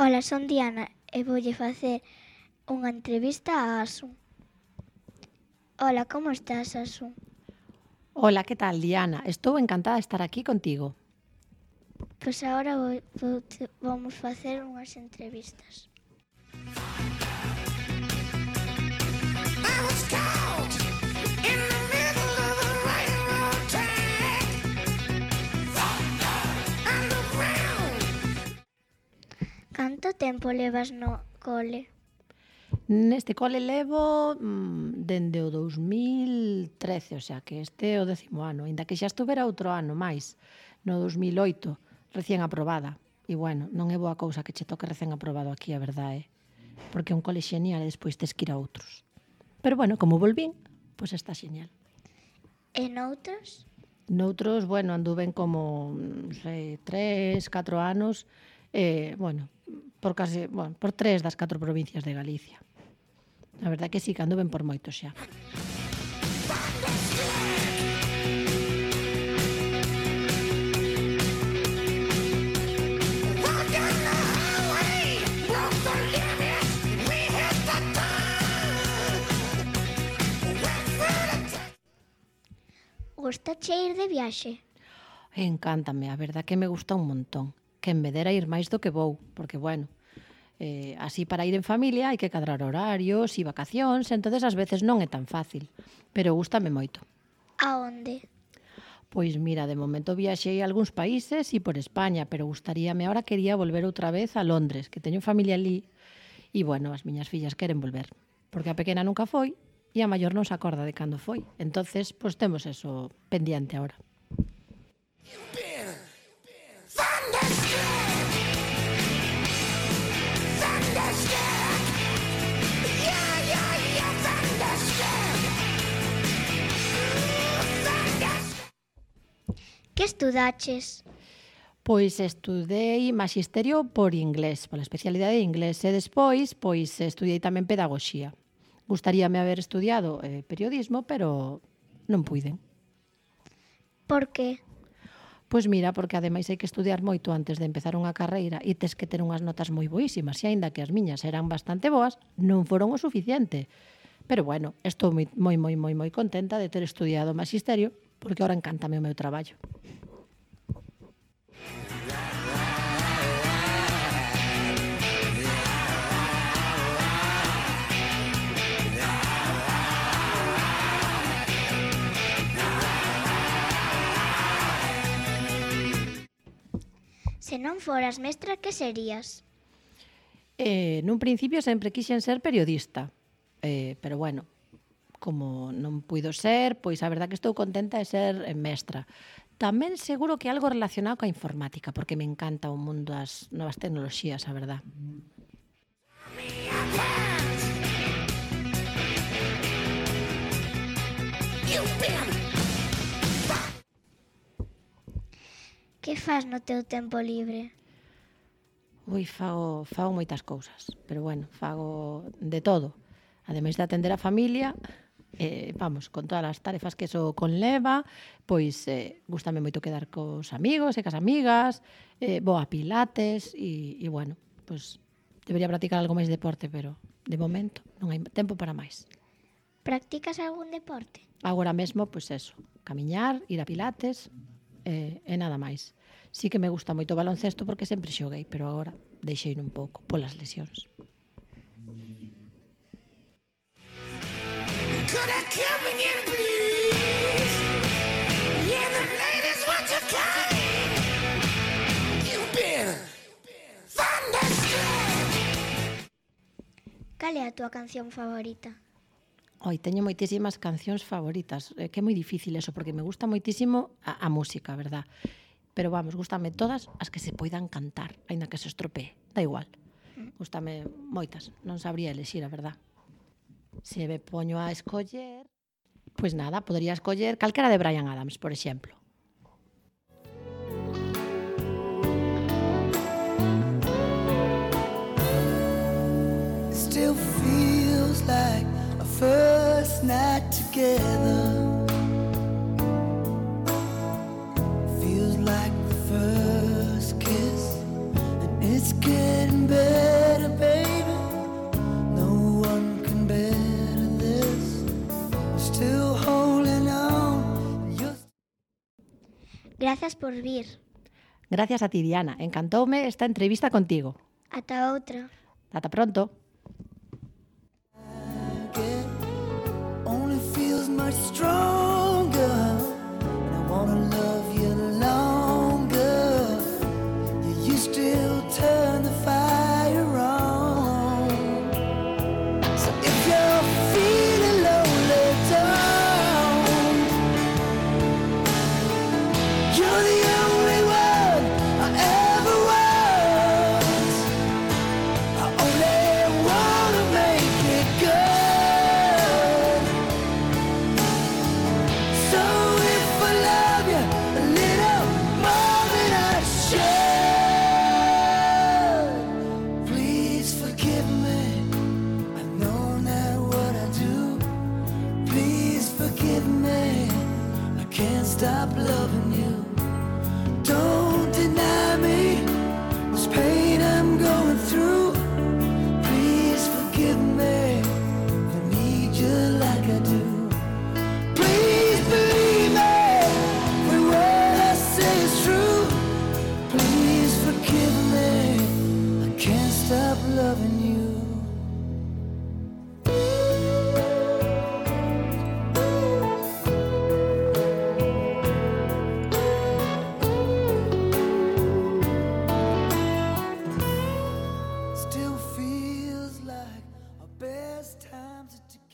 Ola, son Diana e voulle facer unha entrevista a Asun. Ola, como estás, Asun? Hola, ¿qué tal, Diana? Estou encantada de estar aquí contigo. Pois agora vamos facer unhas entrevistas. Canto tempo levas no cole? Neste cole levo dende o 2013, o sea que este é o 10º ano, aínda que xa estuvera outro ano máis, no 2008, recén aprobada. E bueno, non é boa cousa que che toque recén aprobado aquí, a verdade, porque é un cole xenial e despois tes que ir a outros. Pero bueno, como volvín, pois está xenial. E noutros? Noutros, bueno, anduven como, non sei, 3, 4 anos, bueno, por 3 das 4 provincias de Galicia. A verdade que sí, que anduven por moito xa. Gustache ir de viaxe? Encántame, a verdade que me gusta un montón. Que me dera ir máis do que vou, porque, bueno, así para ir en familia hai que cadrar horarios e vacacións, entonces ás veces non é tan fácil, pero gústame moito. A onde? Pois mira, de momento viaxei a algúns países e por España, pero gustaríame, ahora quería volver outra vez a Londres, que teño familia ali, e bueno, as miñas fillas queren volver, porque a pequena nunca foi e a maior non se acorda de cando foi. Entonces, pois temos eso pendiente ahora. Que estudaches? Pois estudei Maxisterio por inglés, pola especialidade de inglés, e despois pois estudei tamén Pedagogía. Gustaríame haber estudiado periodismo, pero non puiden. Por que? Pois mira, porque ademais hai que estudiar moito antes de empezar unha carreira e tes que ter unhas notas moi boísimas, e aínda que as miñas eran bastante boas, non foron o suficiente. Pero bueno, estou moi contenta de ter estudiado Maxisterio, porque ahora encántame o meu traballo. Se non foras mestra, que serías? Nun principio sempre quixen ser periodista, pero bueno, como non puido ser, pois a verdad que estou contenta de ser mestra. Tamén seguro que algo relacionado coa informática, porque me encanta o mundo das novas tecnoloxías, a verdad. Que fas no teu tempo libre? Fago moitas cousas, pero bueno, fago de todo. Ademais de atender a familia, con todas as tarefas que eso conleva, pois gústame moito quedar cos amigos e cas amigas, vou a pilates e bueno, pois debería practicar algo máis de deporte, pero de momento non hai tempo para máis. Practicas algún deporte? Agora mesmo, pois eso, camiñar, ir a pilates e nada máis. Sí que me gusta moito o baloncesto porque sempre xoguei, pero agora deixei un pouco polas lesións. Cal é a túa canción favorita? Teño moitísimas cancións favoritas, que é moi difícil eso, porque me gusta moitísimo a música, verdad? Pero vamos, gústame todas as que se poidan cantar, aínda que se estropee, da igual. Gústame moitas, non sabría elexir, a verdad. Se me poño a escoller, pois nada, podería escoller calquera de Bryan Adams, por exemplo. Still feels like our first night together. Feels like the first kiss, and it's getting better. Grazas por vir. Gracias a ti, Diana. Encantoume esta entrevista contigo. Ata outra. Ata pronto. Only feels much stronger, and I wanna love you longer. You still turn the fire on. So if you're feeling lonely, don't. You're the only one I ever was. I only wanna make it good. So if I love you a little more than I should, please forgive me. I know not what I do. Please forgive me. I can't stop loving you. Don't deny me this pain I'm going through. Please forgive me. I need you like I do. Please believe me when what I say is true. Please forgive me. I can't stop loving you. Still feels like our best times are together.